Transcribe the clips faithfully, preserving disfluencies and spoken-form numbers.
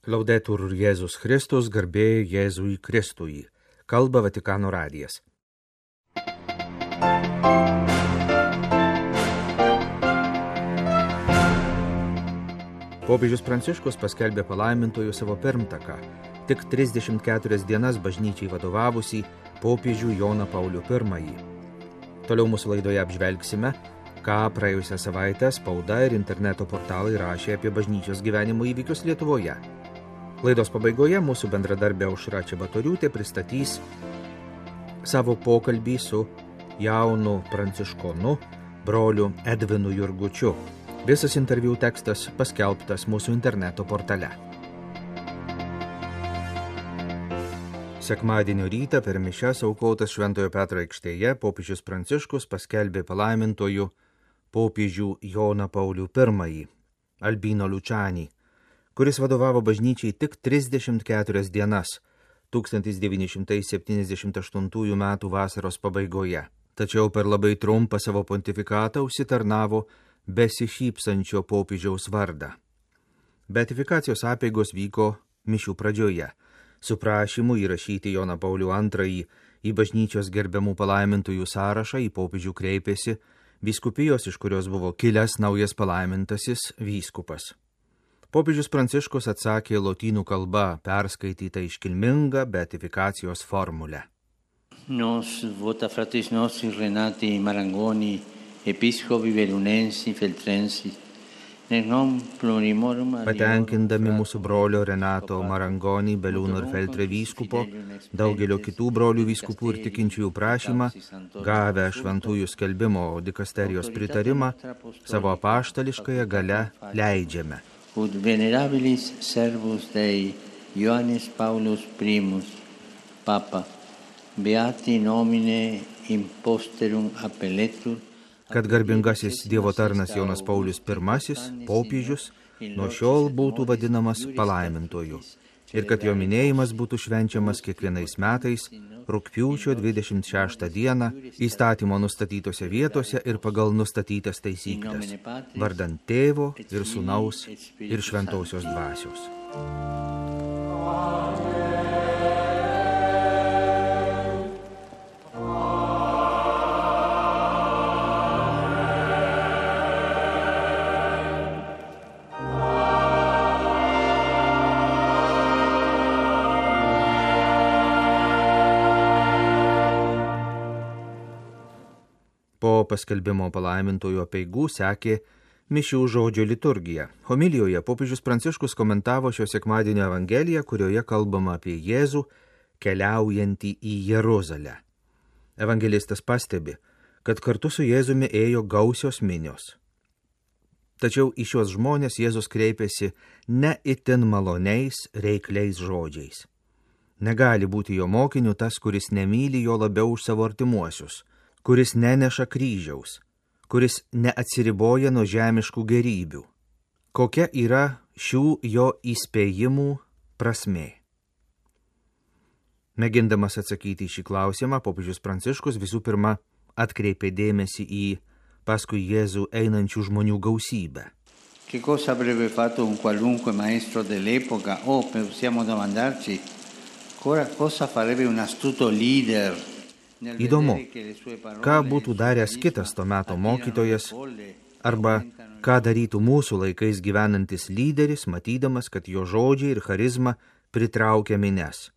Laudetur Jėzus Kristus, garbė Jėzui Kristui. Kalba Vatikano radijas. Popiežius Pranciškus paskelbė palaimintojų savo pirmtaką, tik trisdešimt keturias dienas bažnyčiai vadovavusį popiežių Joną Paulių pirmąjį. Toliau mūsų laidoje apžvelgsime, ką praėjusią savaitę spauda ir interneto portalai rašė apie bažnyčios gyvenimo įvykius Lietuvoje. Laidos pabaigoje mūsų bendradarbė Aušra Čebatoriūtė pristatys savo pokalbį su jaunu pranciškonu, broliu Edvinu Jurgučiu. Visas interviu tekstas paskelbtas mūsų interneto portale. Sekmadienio rytą per mišias aukotas Šventojo Petro aikštėje popiežius Pranciškus paskelbė palaimintojų popiežių Joną Paulių pirmąjį, Albino Lučanį, kuris vadovavo bažnyčiai tik trisdešimt keturias dienas tūkstantis devyni šimtai septyniasdešimt aštuntųjų metų vasaros pabaigoje. Tačiau per labai trumpą savo pontifikatą užsitarnavo besišypsančio popiežiaus vardą. Beatifikacijos apeigos vyko mišių pradžioje, su prašymu įrašyti Joną Paulių antrąjį į bažnyčios gerbiamų palaimintųjų sąrašą į popiežių kreipėsi vyskupijos, iš kurios buvo kilęs naujas palaimintasis vyskupas. Popiežius Pranciškus atsakė lotynų kalba perskaitytą iškilmingą beatifikacijos formulę. Nos vota fratres nostri Renati Marangoni, episcopi Belunensi, Feltrensi, nenom plurimorum... Patenkindami mūsų brolio Renato Marangoni, Beliūno ir Feltre vyskupo, daugelio kitų brolių vyskupų ir tikinčiųjų prašymą, gavę šventųjų skelbimo dikasterijos pritarimą, savo apaštališkąją gale leidžiame. Ut venerabilis servus Dei, Ioannis Paulus primus, Papa, beati nomine imposterum appelletur, kad garbingasis Dievo tarnas Jonas Paulius pirmasis, popiežius, nuo šiol būtų vadinamas palaimintoju ir kad jo minėjimas būtų švenčiamas kiekvienais metais rugpjūčio dvidešimt šeštą dieną įstatymo nustatytose vietose ir pagal nustatytas taisykles, vardant Tėvo ir Sūnaus ir Šventosios Dvasios. Po paskelbimo palaimintojų apeigų sekė mišių žodžio liturgija. Homilijoje popiežius Pranciškus komentavo šio sekmadienio evangeliją, kurioje kalbama apie Jėzų keliaujantį į Jeruzalę. Evangelistas pastebi, kad kartu su Jėzumi ėjo gausios minios. Tačiau į šios žmonės Jėzus kreipėsi ne itin maloniais, reikliais žodžiais. Negali būti jo mokiniu tas, kuris nemyli jo labiau už savo artimuosius, kuris neneša kryžiaus, kuris neatsiriboja nuo žemiškų gerybių. Kokia yra šių jo įspėjimų prasmė? Mėgindamas atsakyti į šį klausimą, popiežius Pranciškus visų pirma atkreipė dėmesį į paskui Jėzų einančių žmonių gausybę. Che cosa avrebbe fatto un qualunque maestro dell'epoca o possiamo domandarci cosa farebbe un astuto leader? Įdomu, ką būtų daręs kitas to meto mokytojas, arba ką darytų mūsų laikais gyvenantis lyderis, matydamas, kad jo žodžiai ir charizma pritraukia mines,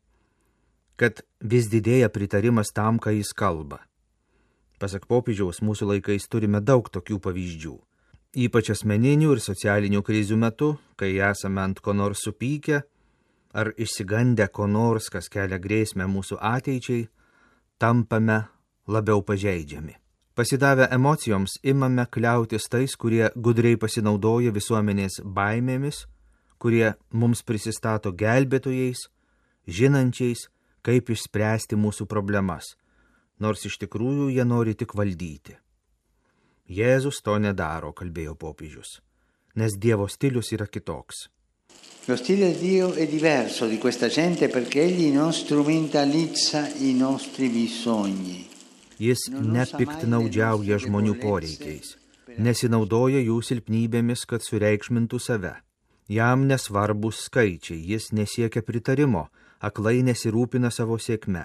kad vis didėja pritarimas tam, ką jis kalba. Pasak popiežiaus, mūsų laikais turime daug tokių pavyzdžių, ypač asmeninių ir socialinių krizių metu, kai esame ant ko nors supykę, ar išsigandę ko nors, kas kelia grėsmę mūsų ateičiai, tampame labiau pažeidžiami. Pasidavę emocijoms imame kliautis tais, kurie gudriai pasinaudoja visuomenės baimėmis, kurie mums prisistato gelbėtojais, žinančiais, kaip išspręsti mūsų problemas, nors iš tikrųjų jie nori tik valdyti. Jėzus to nedaro, kalbėjo popiežius, nes Dievo stilius yra kitoks. Lo stile di Dio è diverso di questa gente perché egli non strumentalizza i nostri bisogni. Jis nepiktnaudžiauja žmonių poreikiais, nesinaudoja jų silpnybėmis, kad sureikšmintų save. Jam nesvarbus skaičiai, jis nesiekia pritarimo, aklai nesirūpina savo sėkme.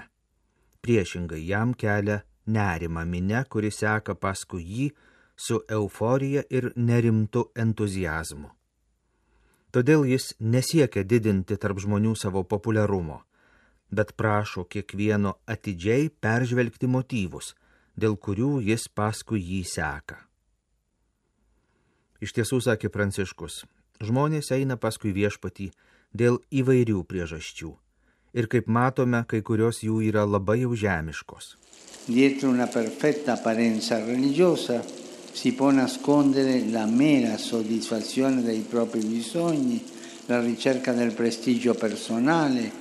Priešingai jam kelia nerimą minia, kuri seka paskui jį su euforija ir nerimtu entuziazmu. Todėl jis nesiekia didinti tarp žmonių savo populiarumo, bet prašo kiekvieno atidžiai peržvelgti motyvus, dėl kurių jis paskui jį seka. Iš tiesų, sakė Pranciškus, žmonės eina paskui viešpatį dėl įvairių priežasčių. Ir kaip matome, kai kurios jų yra labai jau žemiškos. Dietro una perfetta apparenza religiosa si può nascondere la mera soddisfazione dei propri bisogni, la ricerca del prestigio personale.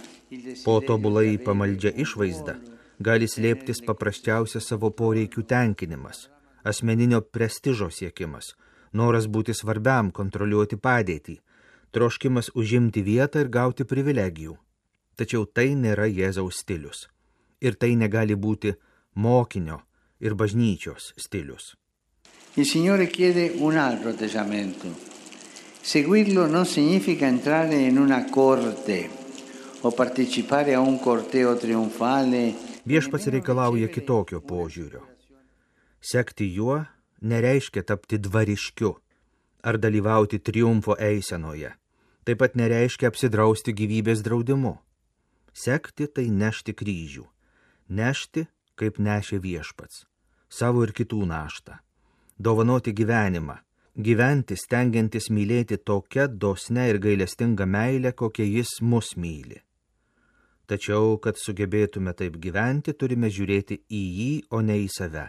Po tobulai pamaldžia išvaizda gali slėptis paprasčiausias savo poreikių tenkinimas, asmeninio prestižo siekimas, noras būti svarbiam, kontroliuoti padėtį, troškimas užimti vietą ir gauti privilegijų. Tačiau tai nėra Jėzaus stilius. Ir tai negali būti mokinio ir bažnyčios stilius. Il Signore chiede un altro atteggiamento. Seguirlo non significa entrare in una corte o partecipare a un corteo trionfale. Viešpats reikalauja kitokio požiūrio. Sekti juo nereiškia tapti dvariškiu ar dalyvauti triumfo eisenoje. Taip pat nereiškia apsidrausti gyvybės draudimu. Sekti tai nešti kryžių. Nešti, kaip nešė viešpats. Savo ir kitų naštą. Dovanoti gyvenimą. Gyventi stengiantis mylėti tokia dosne ir gailestinga meilė, kokia jis mus myli. Tačiau, kad sugebėtume taip gyventi, turime žiūrėti į jį, o ne į save.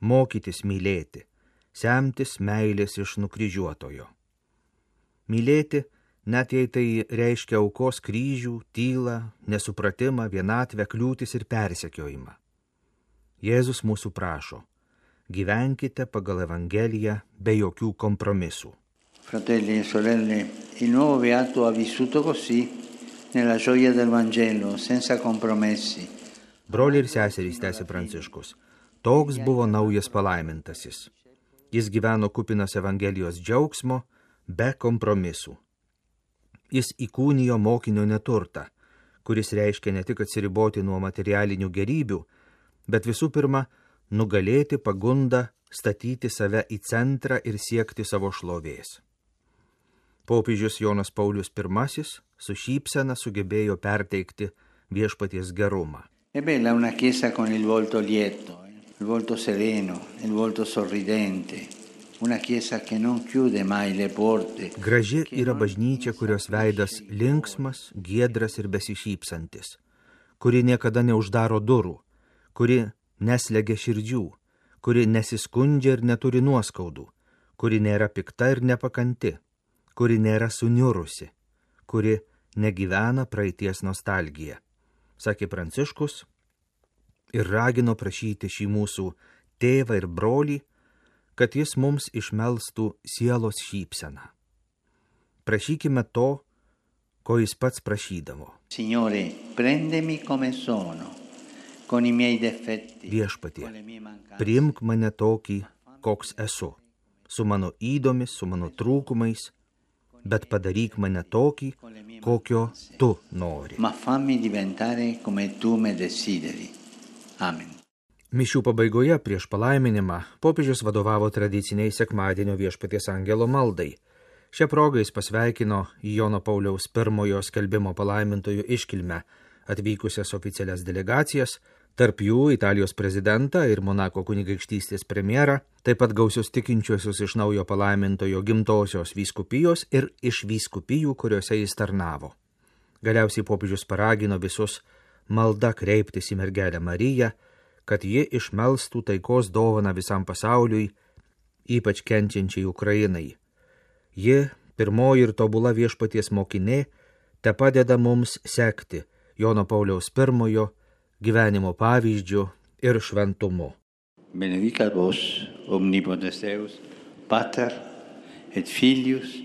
Mokytis mylėti, semtis meilės iš nukryžiuotojo. Mylėti, net jei tai reiškia aukos kryžių, tylą, nesupratimą, vienatvę, kliūtis ir persekiojimą. Jėzus mūsų prašo, gyvenkite pagal Evangeliją be jokių kompromisų. Fratelli e sorelle, il nuovo beato ha vissuto così nella gioia del Vangelo, senza compromessi. Broliai ir seserys, tęsė Pranciškus, toks buvo naujas palaimintasis. Jis gyveno kupinas Evangelijos džiaugsmo, be kompromisų. Jis įkūnijo mokinio neturtą, kuris reiškia ne tik atsiriboti nuo materialinių gerybių, bet visų pirma, nugalėti pagundą, statyti save į centrą ir siekti savo šlovės. Popiežius Jonas Paulius pirmasis su šypsena sugebėjo perteikti viešpaties gerumą. È bella una chiesa con il volto lieto, il volto sereno, il volto sorridente, una chiesa che non chiude mai le porte. Graži yra bažnyčia, kurios veidas linksmas, giedras ir besišypsantis, kuri niekada neuždaro durų, kuri neslegia širdžių, kuri nesiskundžia ir neturi nuoskaudų, kuri nėra pikta ir nepakanti, kuri nėra suniurusi, kuri negyvena praeities nostalgiją, sakė Pranciškus ir ragino prašyti šį mūsų tėvą ir brolį, kad jis mums išmelstų sielos šypseną. Prašykime to, ko jis pats prašydavo. Signore, prendemi come sono, con i miei defetti. Viešpatie, priimk mane tokį, koks esu, su mano įdomis, su mano trūkumais, bet padaryk mane tokį, kokio tu nori. Ma fammi diventare come tu me desideri. Amen. Mišių pabaigoje prieš palaiminimą popiežius vadovavo tradiciniai sekmadienio viešpaties angelo maldai. Šią progą jis pasveikino Jono Pauliaus pirmojo skelbimo palaimintojų iškilmę atvykusias oficialias delegacijas, tarp jų Italijos prezidentą ir Monako kunigaikštystės premjerą, taip pat gausius tikinčiuosius iš naujo palaimintojo gimtosios vyskupijos ir iš vyskupijų, kuriuose jis tarnavo. Galiausiai popiežius paragino visus malda kreiptis į mergelę Mariją, kad ji išmelstų taikos dovaną visam pasauliui, ypač kenčiančiai Ukrainai. Ji, pirmoji ir tobula viešpaties mokinė, te padeda mums sekti Jono Pauliaus pirmojo gyvenimo pavyzdžiu ir šventumu. Benedicat vos, omnipotens Deus, Pater et Filius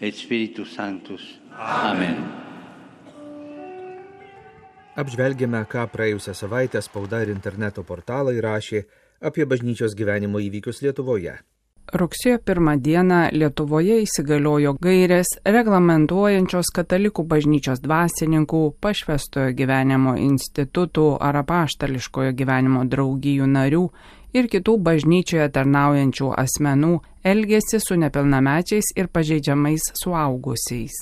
et Spiritus Sanctus. Amen. Apžvelgėme, ką praėjusią savaitę spauda ir interneto portalai rašė apie bažnyčios gyvenimo įvykius Lietuvoje. Rugsėjo pirmą dieną Lietuvoje įsigaliojo gairės reglamentuojančios katalikų bažnyčios dvasininkų, pašvęstojo gyvenimo institutų ar apaštališkojo gyvenimo draugijų narių ir kitų bažnyčioje tarnaujančių asmenų elgesį su nepilnamečiais ir pažeidžiamais suaugusiais.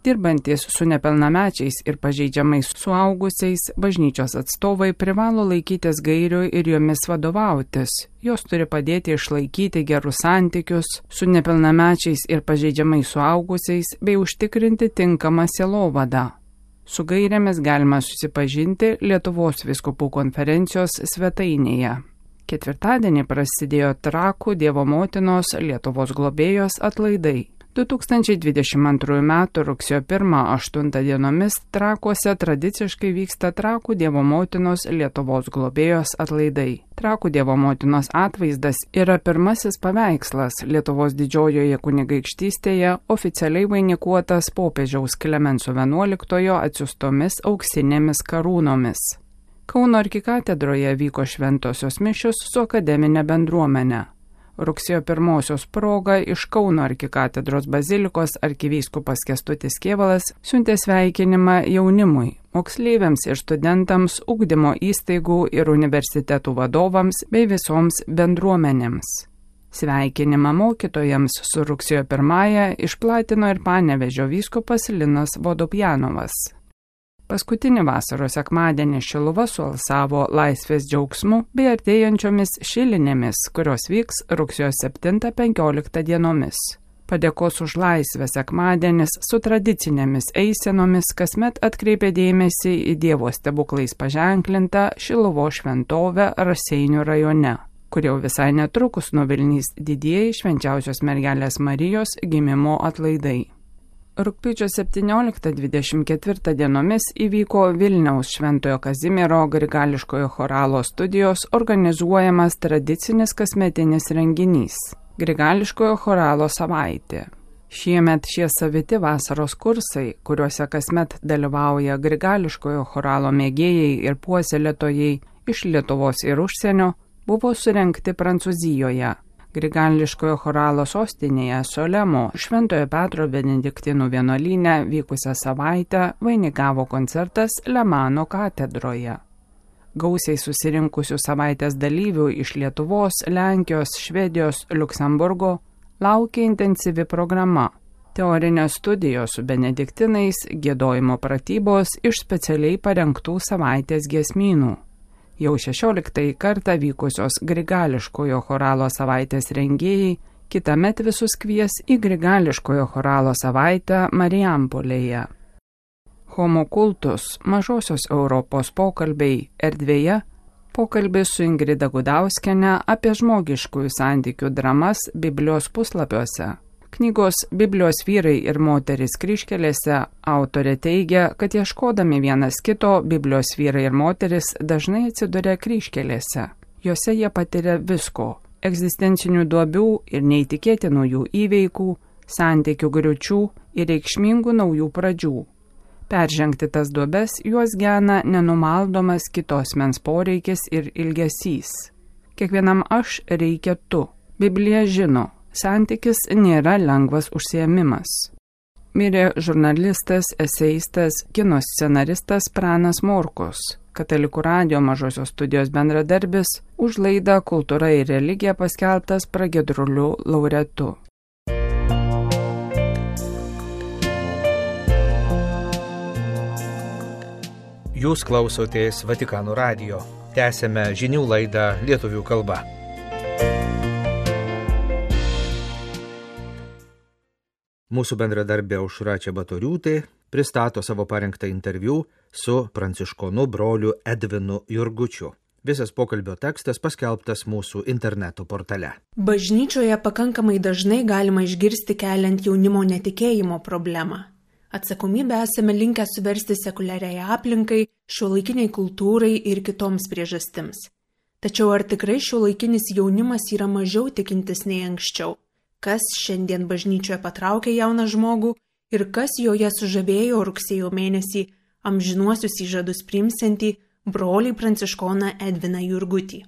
Dirbantis su nepilnamečiais ir pažeidžiamais suaugusiais, bažnyčios atstovai privalo laikytis gairių ir jomis vadovautis. Jos turi padėti išlaikyti gerus santykius su nepilnamečiais ir pažeidžiamais suaugusiais bei užtikrinti tinkamą sielovadą. Su gairėmis galima susipažinti Lietuvos vyskupų konferencijos svetainėje. Ketvirtadienį prasidėjo Trakų Dievo motinos Lietuvos globėjos atlaidai. du tūkstančiai dvidešimt antrųjų metų rugsėjo pirmą aštuntą dienomis Trakuose tradiciškai vyksta Trakų Dievo motinos Lietuvos globėjos atlaidai. Trakų Dievo motinos atvaizdas yra pirmasis paveikslas Lietuvos didžiojoje kunigaikštystėje oficialiai vainikuotas popiežiaus Klemenso vienuoliktojo atsiųstomis auksinėmis karūnomis. Kauno arkikatedroje vyko šventosios mišios su akademinė bendruomenė. Rugsėjo pirmosios proga iš Kauno arkikatedros bazilikos arkivyskupas Kęstutis Kėvalas siuntė sveikinimą jaunimui, moksleiviams ir studentams, ugdymo įstaigų ir universitetų vadovams bei visoms bendruomenėms. Sveikinimą mokytojams su rugsėjo pirmąją išplatino ir Panevėžio vyskupas Linas Vodopjanovas. Paskutinį vasaros sekmadienį Šiluva sualsavo laisvės džiaugsmu bei artėjančiomis šilinėmis, kurios vyks rugsėjo septintą penkioliktą dienomis. Padėkos už laisvę sekmadienis su tradicinėmis eisenomis kasmet atkreipė dėmesį į Dievo stebuklais paženklintą Šiluvos šventovę Raseinių rajone, kur jau visai netrukus nuvilnys didieji švenčiausios mergelės Marijos gimimo atlaidai. Rugpjūčio septynioliktą dvidešimt ketvirtą dienomis įvyko Vilniaus Šventojo Kazimiero grigališkojo choralo studijos organizuojamas tradicinis kasmetinis renginys – Grigališkojo choralo savaitė. Šiemet šie saviti vasaros kursai, kuriuose kasmet dalyvauja grigališkojo choralo mėgėjai ir puoselėtojai iš Lietuvos ir užsienio, buvo surengti Prancūzijoje. Grigališkojo choralo sostinėje Solemo Šventojo Petro Benediktinų vienuolyne vykusią savaitę vainikavo koncertas Lemano katedroje. Gausiai susirinkusių savaitės dalyvių iš Lietuvos, Lenkijos, Švedijos, Liuksemburgo laukia intensyvi programa. Teorinės studijos su benediktinais, giedojimo pratybos iš specialiai parengtų savaitės giesmynų. Jau šešioliktąjį kartą vykusios grigališkojo choralo savaitės rengėjai kitąmet visus kvies į grigališkojo choralo savaitę Marijampolėje. Homo kultus mažosios Europos pokalbiai erdvėje pokalbis su Ingrida Gudauskiene apie žmogiškųjų santykių dramas Biblijos puslapiuose. Knygos Biblijos vyrai ir moterys kryžkelėse autorė teigia, kad ieškodami vienas kito Biblijos vyrai ir moteris dažnai atsiduria kryžkelėse. Jose jie patiria visko – egzistencinių duobių ir neįtikėtinų jų įveikų, santykių griūčių ir reikšmingų naujų pradžių. Peržengti tas duobes juos gena nenumaldomas kitos mens poreikis ir ilgesys. Kiekvienam aš reikia tu. Biblija žino. Santykis nėra lengvas užsiėmimas. Mirė žurnalistas, eseistas, kino scenaristas Pranas Morkus, Katalikų radijo mažosios studijos bendradarbis, už laidą Kultūra ir religija paskelbtas pragiedruliu laureatu. Jūs klausotės Vatikano radijo. Tęsėme žinių laidą lietuvių kalba. Mūsų bendradarbė Aušra Čebatoriūtė pristato savo parengtą interviu su pranciškonu broliu Edvinu Jurgučiu. Visas pokalbio tekstas paskelbtas mūsų interneto portale. Bažnyčioje pakankamai dažnai galima išgirsti keliant jaunimo netikėjimo problemą. Atsakomybę esame linkę suversti sekuliariai aplinkai, šiuolaikiniai kultūrai ir kitoms priežastims. Tačiau ar tikrai šiuolaikinis jaunimas yra mažiau tikintis nei anksčiau? Kas šiandien bažnyčioje patraukė jauną žmogų ir kas joje sužavėjo rugsėjo mėnesį amžinuosius įžadus priimsiantį brolį pranciškoną Edviną Jurgutį.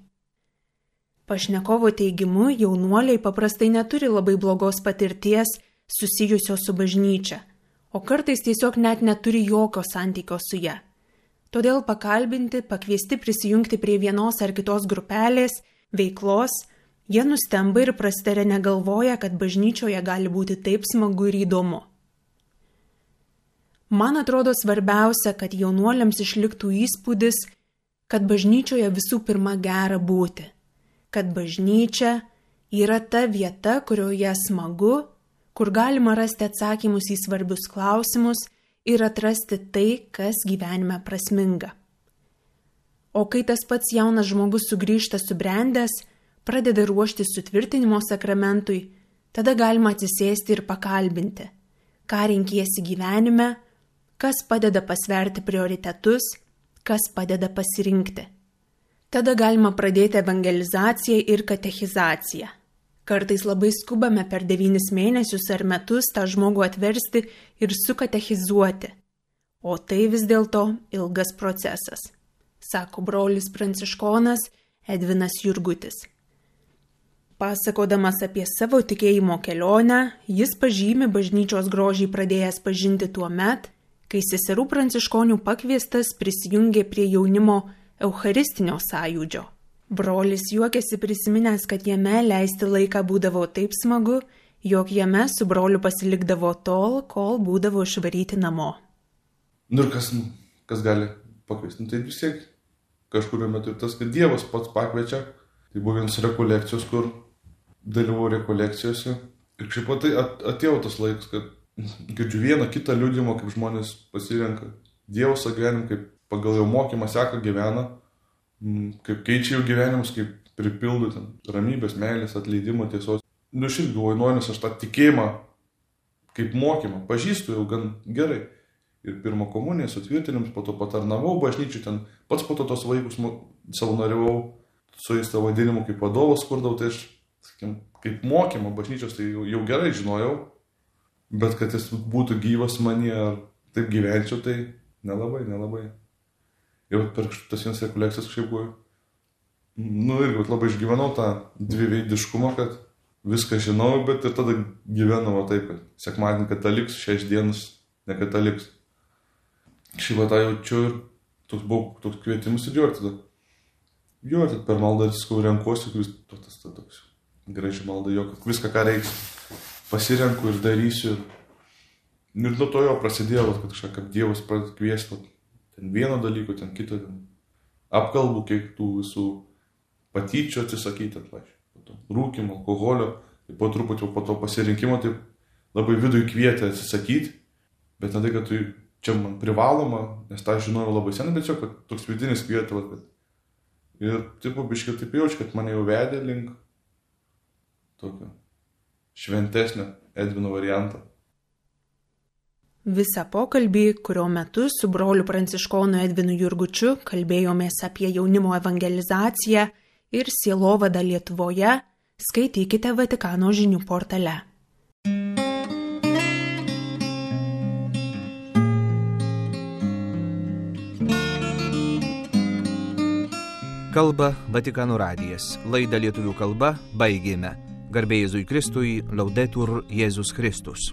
Pašnekovo teigimu, jaunuoliai paprastai neturi labai blogos patirties susijusios su bažnyčia, o kartais tiesiog net neturi jokio santykio su ja. Todėl pakalbinti, pakviesti prisijungti prie vienos ar kitos grupelės, veiklos, jie nustemba ir prastarė negalvoja, kad bažnyčioje gali būti taip smagu ir įdomu. Man atrodo svarbiausia, kad jaunuoliams išliktų įspūdis, kad bažnyčioje visų pirma gera būti, kad bažnyčia yra ta vieta, kurioje smagu, kur galima rasti atsakymus į svarbius klausimus ir atrasti tai, kas gyvenime prasminga. O kai tas pats jaunas žmogus sugrįžta subrendęs, pradeda ruošti sutvirtinimo sakramentui, tada galima atsisėsti ir pakalbinti, ką renkiesi gyvenime, kas padeda pasverti prioritetus, kas padeda pasirinkti. Tada galima pradėti evangelizaciją ir katechizaciją. Kartais labai skubame per devynis mėnesius ar metus tą žmogų atversti ir sukatechizuoti. O tai vis dėlto ilgas procesas, sako brolis pranciškonas Edvinas Jurgutis. Pasakodamas apie savo tikėjimo kelionę, jis pažymi bažnyčios grožį pradėjęs pažinti tuo met, kai seserų pranciškonių pakviestas prisijungė prie jaunimo eucharistinio sąjūdžio. Brolis juokėsi prisiminęs, kad jame leisti laiką būdavo taip smagu, jog jame su broliu pasilikdavo tol, kol būdavo išvaryti namo. Nu ir kas, kas gali pakviesti? Nu, tai vis tiek kažkurio metu tas, kad Dievas pats pakviečia. Tai buvo vienas rekolekcijos, kur dalyvau rekolekcijose. Ir šiaip tai atėjo tas laikas, kad girdžiu vieną kitą liudijimą, kaip žmonės pasirenka Dievo savo gyvenimą, kaip pagal jo mokymą seka gyvena, kaip keičia jų gyvenimus, kaip pripildo ten ramybės, meilės, atleidimo, tiesos. Nu šiaip galvoju, nu, nes aš tą tikėjimą kaip mokymą pažįstu jau gan gerai. Ir pirmą komuniją sutvirtinimus, po to patarnavau bažnyčių, ten pats po to tos vaikus savanoriavau, su jais tą vadinimu kaip vadovas kurdavau, tai aš, sakykim, kaip mokymą bažnyčios tai jau, jau gerai žinojau. Bet kad jis būtų gyvas manyje, ar taip gyvenčiau, tai nelabai, nelabai. Ir per tas vienas rekolekcijas kažkaip buvo, nu irgi labai išgyvenau tą dviveidiškumą, kad viską žinau, bet ir tada gyvenau taip, kad sekmadienį kataliks, šešias dienas nekataliks. Šį vatą jaučiu ir toks buvo toks kvietimus ir jo ir tada. Jo, ir per maldą viskau renkuosi, kuris tas toks graži malda jo, kad viską ką reiks. Pasirenku ir darysiu. Ir nuo to jo prasidėjo, kad kažką kaip Dievas pradeda kviesti, ten vieno dalyko, ten kito, ten apkalbų, kiek tų visų patyčių atsisakyti, rūkimo, alkoholio, tai po truputį po to pasirinkimo, taip labai vidui kvietė atsisakyti, bet ne tai, kad tai čia man privaloma, nes tą žinojau labai senai, bet čia, kad toks vidinis kvietė, kad ir taip biškai taip jaučiu, kad mane jau vedė link tokio šventesnio Edvino variantą. Visą pokalbį, kurio metu su broliu pranciškonu Edvinu Jurgučiu kalbėjomės apie jaunimo evangelizaciją ir sielovadą Lietuvoje, skaitykite Vatikano žinių portale. Kalba Vatikano radijas. Laidą lietuvių kalba baigėme. Garbė Jėzui Kristui, Laudetur Jėzus Kristus.